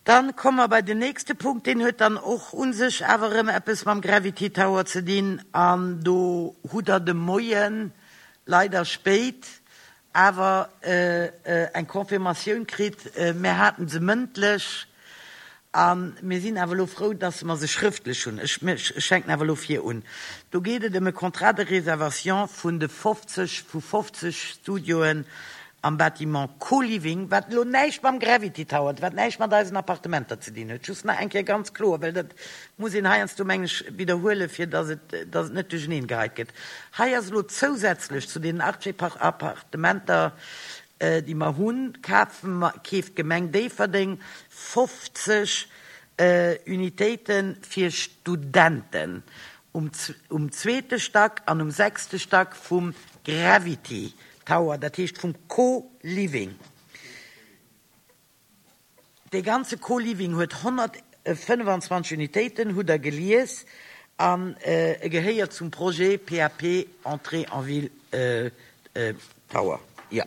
Dann komme mer bei den nächste Punkt, deen huet dann och u sech awer erëm eppes mam Gravity Tower ze dinn. An do hutt Der de Moien, leider spéit, awer eng Confirmatioun kritt. Mir hate se mëndlech a mir sinn awer elo frou, dass mer se schrëftlech hunn. Ech fänken awer elo vir un. Do geet et ëm e Contrat de réservation vun de 50, vu 50 Studioen am Bâtiment Co-Living, wat elo näischt mam Gravity Tower, wat näischt mat eisen Appartementer ze dinn huet, just nach eng Kéier ganz kloer, well dat muss een heiansdo, mengen ech, widderhuelen, fir dass et, dass et net duercheneen geheit gëtt. Hei ass elo zousätzlech zu deenen 80 Appartementer, déi mer hunn, kafe mer, keeft d'Gemeng Déifferdeng 50 Unitéite fir Studenten um, um zweete Stack an um sechste Stack vum Gravity Tower, dat heescht vum Co-Living. Dee ganze Co-Living huet 125 Unitéiten, hutt Der gelies, an e gehéiert zum Projet PAP Entrée en ville Tower. Jo.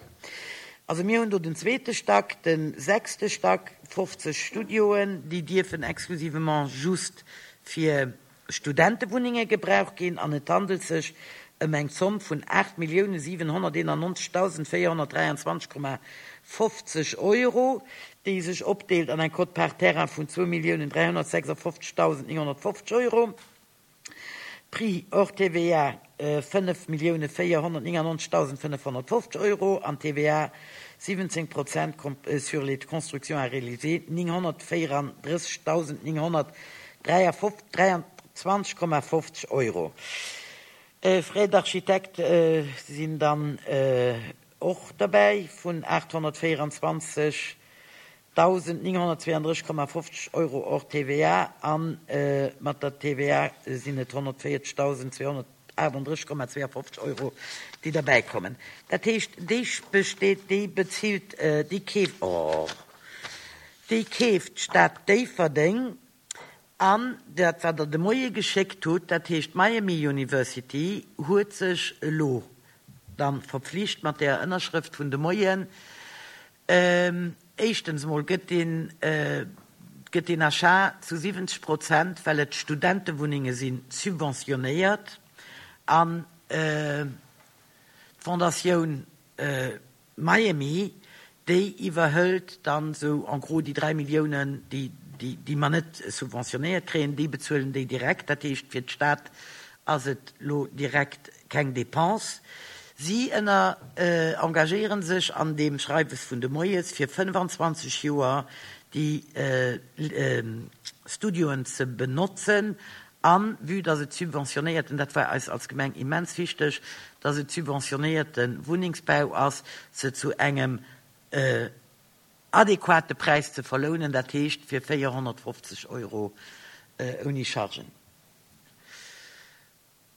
Also mir hunn do den zweete Stack, de sechste Stack, 50 Studioen, déi dierfen exclusivement just fir Studentewunnenge gebraucht ginn an et handelt sech ëm eng Zomm vun 8.791.423,50 Euro, déi sech opdeelt an eng Quote-part terrain vun 2.356.950 Euro, Prix hors TVA 5.499.550 Euro an TVA 17 Prozent sur les constructions à réaliser 934.900 23,50 Euro. Frais d'architecte sinn dann och derbäi vun 824.932,50 Euro hors TVA a mat der TVA sinn et 140.238,52 Euro, déi derbäi kommen. Dat heescht, déi besteet, déi bezilt, déi keeft, oh, déi keeft d'Stad Déifferdeng An dat, wat Der de Moie geschéckt hutt, dat heescht d'Miami University huet sech elo da verpflicht mat där Ënnerschrëft vun de Moien, éischtens emol gëtt deen, gëtt deen Achat zu 70 Prozent, well et Studentewunnenge sinn, subventionéiert an d'Fondatioun Miami, déi iwwerhëlt dann esou en gros déi 3 Milliounen, déi, déi mer net subventionéiert kréien, déi bezuelen déi direkt. Dat heescht, fir d'Stad ass et elo direkt keng Dépense. Si ënner engagéiere sech an deem Schreiwes vun de Moies, fir 25 Joer déi Studioen ze benotzen An, vue dass et subventionéierten, dat war eis als Gemeng immens wichteg, dass et subventionéierte Wunnengsbau ass, se zu engem adequate Präis ze verlounen, dat heescht fir 450 Euro ouni Chargen.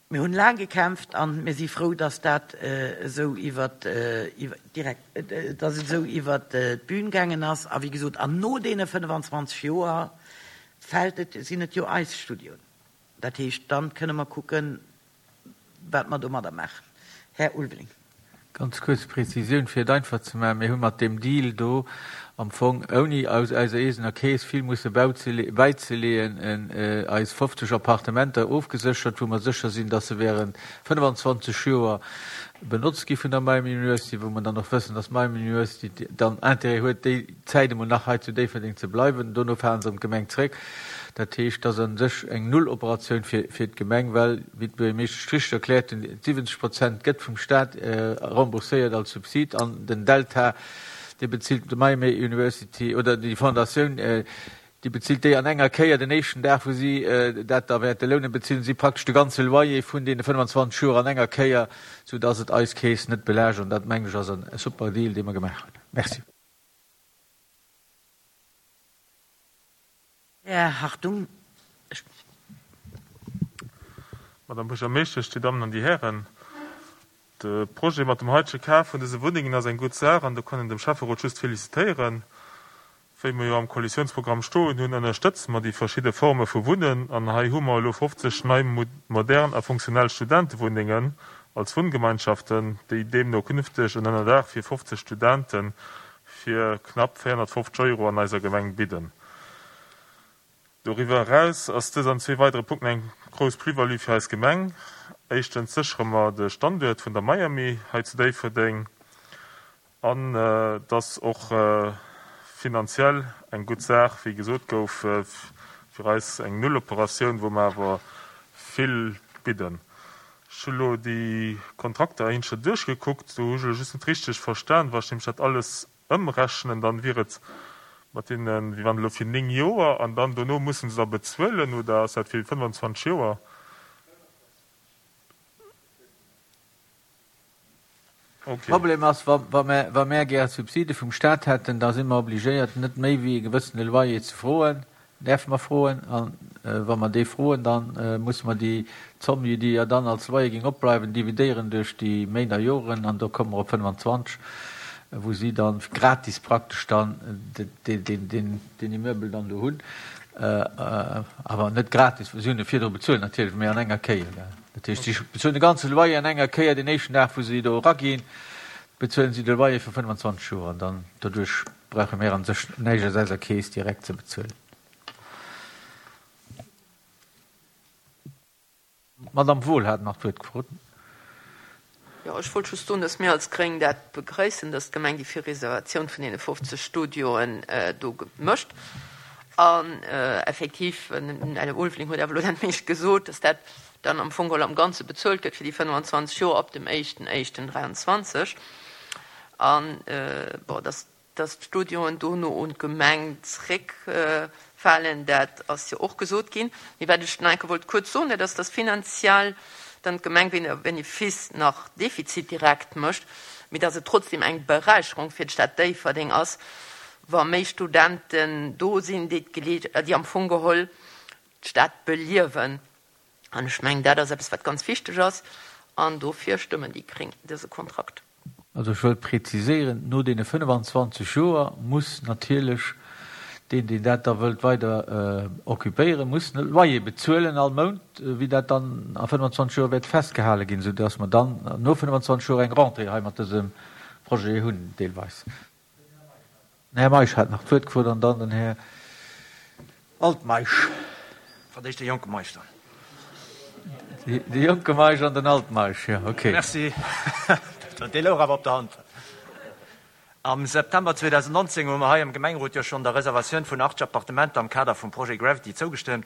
Mir hunn laang gekämpft an mir si frou, dass dat esou iwwert, direkt, dass et esou iwwert d'Bühn gaangen ass. A wéi gesot, an no deene 25 Joer fält et, sinn et jo eis Studioen. Dat heescht, dann kënne mer kucken, wat mer domadder maachen. Här Ulveling. Ganz kuerz Prezisioun, fir et einfach ze maachen, Mir hu mat deem Deal do am Fong, ouni aus eiser eegener Keess vill musse bäizeleeën, eis 50 Appartementer ofgeséchert, wou mer sécher sinn, dass se während 25 Joer benotzt gi vun der Miami University, wou mer dann och wëssen, dass d'Miami University dann Intérêt huet, déi Zäit emol nach hei zu Déifferdeng ze bleiwen. Dono fale se an d'Gemeng zréck. Dat heescht, dat ass a sech eng Nulloperatioun fir d'Gemeng, well, wéi d'Buergermeeschtesch richteg erkläert hunn, 70 Prozent gëtt vum Stat rembourséiert als Subsid an den Delta, dee bezilt d'Miami University oder déi Fondatioun, déi bezilt déi an enger Kéier den éischten Dag, wou si dat da wäerte lounen, bezilen si praktesch de ganze Loyer vun deene 25 Joer an enger Kéier, soudass et eis Keess net belaascht. An dat, mengen ech, ass e super Deal, dee mer gemaach hunn. Merci. Här Hartung, ech. Madame Buergermeeschtesch, Dir Dammen an Dir Hären, de Projet mat dem haitege Kaf vun dëse Wunnengen ass eng gutt Saach an do kann een dem Schäfferot just felicitéieren. Wéi mer jo am Koalitiounsprogramm stoen hunn, ënnerstëtze mer déi verschidde Forme vu Wunnen an hei hu mer elo 50 nei modern a funktionell Studentewunnengen als Wunngemeinschaften, déi deemno künfteg en Ënnerdaach fir 50 Studente fir knapp 450 Euro an eiser Gemeng bidden. Doriwwer eraus ass dës an zwee weidere Punkten eng grouss Plus-value fir eis Gemeng. Éischtens séchere mer de Standuert vun der Miami hei zu Déifferdeng an et ass och finanziell eng gutt Saach, wéi gesot gouf, fir eis eng Nulloperatioun, wou mer awer vill bidden. Ech hu lo déi Kontrakter eenzcher duerchgekuckt, do hu ech elo just net richteg verstan, wa ech nämlech dat alles Ëmrechnen, dann wier et mat deenen, wéi wann elo fir 9 Joer an dann dono mussen se da bezuelen, oder ass dat fir 25 Joer? Ok. Problem ass, wa wa wa mär gär Subside vum Staat hätten, da si mer obligéiert net méi wéi e gewëssene Loyer ze froen. Däerfe mer froen? A wa mer dee froen, da musse mer déi Zomm, déi jo dann als Loyer géing opbleiwen, dividéieren duerch déi Méint a Joren, an do komme mer op 25, wou si da gratis praktesch dann deen Immeuble dann do hunn. Awer net gratis, si hunn e virdru bezuelt natierlech, mee an enger Kéier. Dat heescht, si bezuelen de ganze Loyer an enger Kéier, deen éischten Dag, wou si do eraginn, bezuelen si de Loyer fir 25 Joer an dann doduerch Brauche mir an sech näischt aus eiser Keess direkt ze bezuelen. D'Madame Wohl hat nach d'Wuert gefrot. Jo, ech wollt just soen, dass mir als Gréng dat begrëissen, dass d'Gemeng déi Virreservatioun vun deene 50 Studioen do mécht. An effektiv, den Här Ulveling huet awer elo dat meescht gesot, dass dat dann am Fong geholl am Ganze bezuelt gëtt fir déi 25 Joer ab dem éischten éischten 23. An, bon, dass, dass d'Studioen dono un d'Gemeng zréckfalen, dat ass jo och gesot ginn. Mee wat ech nach eng Kéier wollt kuerz soen, dat ass, dass finanziell dann d'Gemeng weder Benefice nach Defizit direkt mécht, mee dass et trotzdem eng Beräicherung fir d'Stad Déifferdeng ass, wa méi Studenten do sinn, déi d'Geleeg, déi am Fong geholl d'Stad beliewen. An ech mengen, dat ass eppes, wat ganz wichteg ass, an dofir stëmmen déi Gréng dëse Kontrakt. Also ech wëll präziséieren, no deene 25 Joer muss natierlech deen, deen dat da wëllt weider occupéieren, muss e Loyer bezuelen all Mount, wéi dat dann a 25 Joer wäert festgehale ginn, soudass mer dann no 25 Joer eng Rentrée hei mat dësem Projet hunn deelweis. Den Här Meisch hat nach d'Wuert gefrot an dann den Här Altmeisch. Fir d'éischt de jonke Meisch dann. De jonke Meisch an den Altmeisch, jo, okay. Merci. Dee louch awer op der Hand. Am September 2019 hu mer hei am Gemengerot jo schonn der Reservatioun vun 80 Appartementer am Kader vum Projet Gravity zougestëmmt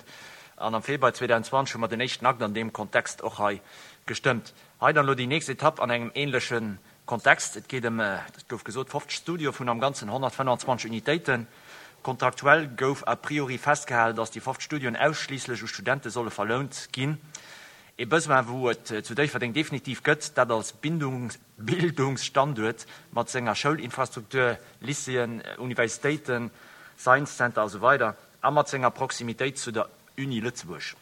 an am Februar 2020 hu mer den éischten Akt an deem Kontext och hei gestëmmt. Hei dann elo déi nächst Etapp an engem änleche Kontext, Et geet ëm, et gouf gesot, 50 Studioe vun am Ganzen 125 Unitéiten. Kontraktuell gouf a priori festgehalen, datt déi 50 Studioen ausschliisslech u Studente solle verlount ginn. Ee Besoin, wou et zu Déifferdeng definitiv gëtt, dat als Bildungsstanduert mat senger Schoulinfrastruktur, Lycéeën, Universitéiten, Science Center a sou weider a mat senger Proximitéit zu der Uni Lëtzebuerg.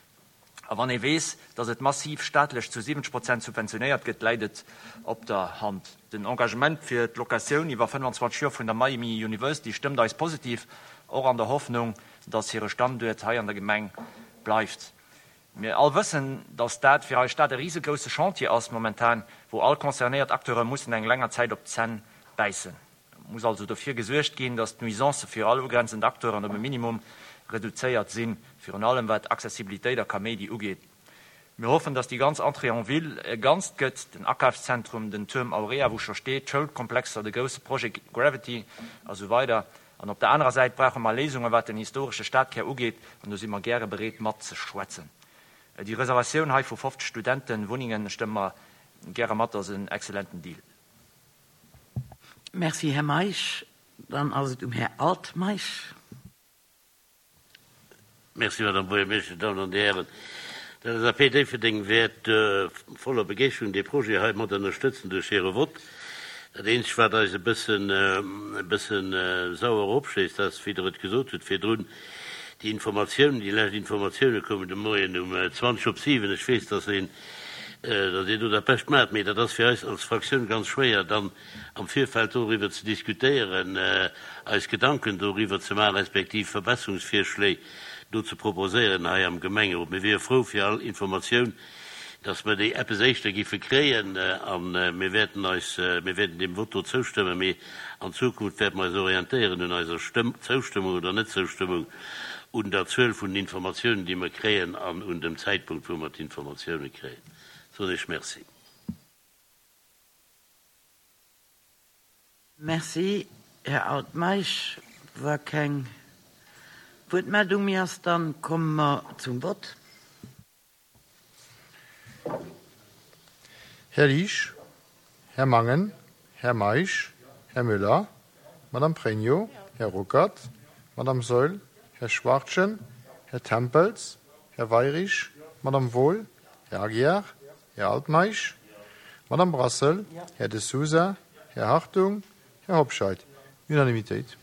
A wann ee weess, datt et massiv staatlech zu 70 Prozent subventionéiert gëtt, läit et op der Hand. Den Engagement fir d'Locatioun iwwer 25 Joer vun der Miami University stëmmt eis positiv, och an der Hoffnung, datt hire Standuert hei an der Gemeng bleift. Mir all wëssen, datt dat fir eis Stad e risegrousse Chantier ass momentan, wou all concernéiert Acteure mussen eng länger Zäit op d'Zänn bäissen. Et muss also dofir gesuergt ginn, datt d'Nuisancë fir all ugrenzend Acteuren op e Minimum reduzéiert sinn, virun allem wat Accessibilitéit a Kaméidi ugeet. Mir hoffen, datt déi ganz Entrée en ville e Ganzt gëtt, den Akafszentrum, den Tuerm Aurea, wou scho steet, d'Schoulkomplexer, de grousse Projet Gravity a sou weider. An op der anerer Säit brauche mer Léisungen, wat den historesche Stadkär ugeet, an do si mer gäre bereet matzeschwätzen. Déi Reservatioun hei vu 50 Studentenwunnengen stëmme mer gäre mat, ass en excellenten Deal. Merci, Här Meisch. Dann ass et um Här Altmeisch. Merci, Madame Buergermeeschtesch, Dir Dammen an Dir Hären. D'LSAP Déifferdeng wäert voller Begeeschterung dee Projet hei mat ënnerstëtzen duerch hire Vott. Dat eenzegt, wat eis e bëssen, e bëssen sauer opschléisst, ass, wéi Der et gesot hutt virdrun, déi Informatiounen, déi lescht Informatioune koumen de Moien um 20 op 7. Ech weess, dass een datt Dir do dat Bescht maacht, mee dat ass fir eis als Fraktioun ganz schwéier, dann am Virfeld doriwwer ze diskutéieren, eis Gedanken doriwwer ze maachen, respektiv Verbesserungsvirschléi do ze proposéieren hei am Gemengerot. Mir wiere frou fir all Informatioun, datt mer déi eppes éischter giffe kréien, a mir wäerten eis, mir wäerten deem Vott do zoustëmmen, mee an Zukunft wäerte mer eis orientéieren un eiser Stëmm, Zoustëmmung oder Netzoustëmmung. un der Zuel vun den Informatiounen, déi mer kréien, an un dem Zäitpunkt, wou mer d'Informatiounen kréien. Soen ech Merci. Merci, Här Altmeisch. Wa keng Wuertmeldung méi ass, da komme mer zum Vott. Här Liesch, Här Mangen, Här Meisch, Här Müller, Madame Pregno, Här Ruckert, Madame Saeul, Här Schwachtgen, Här Tempels, Här Weirich, Madame Wohl, Här Aguiar, Här Altmeisch, Madame Brassel, Här De Sousa, Här Hartung, Här Hobscheit. Unanimitéit.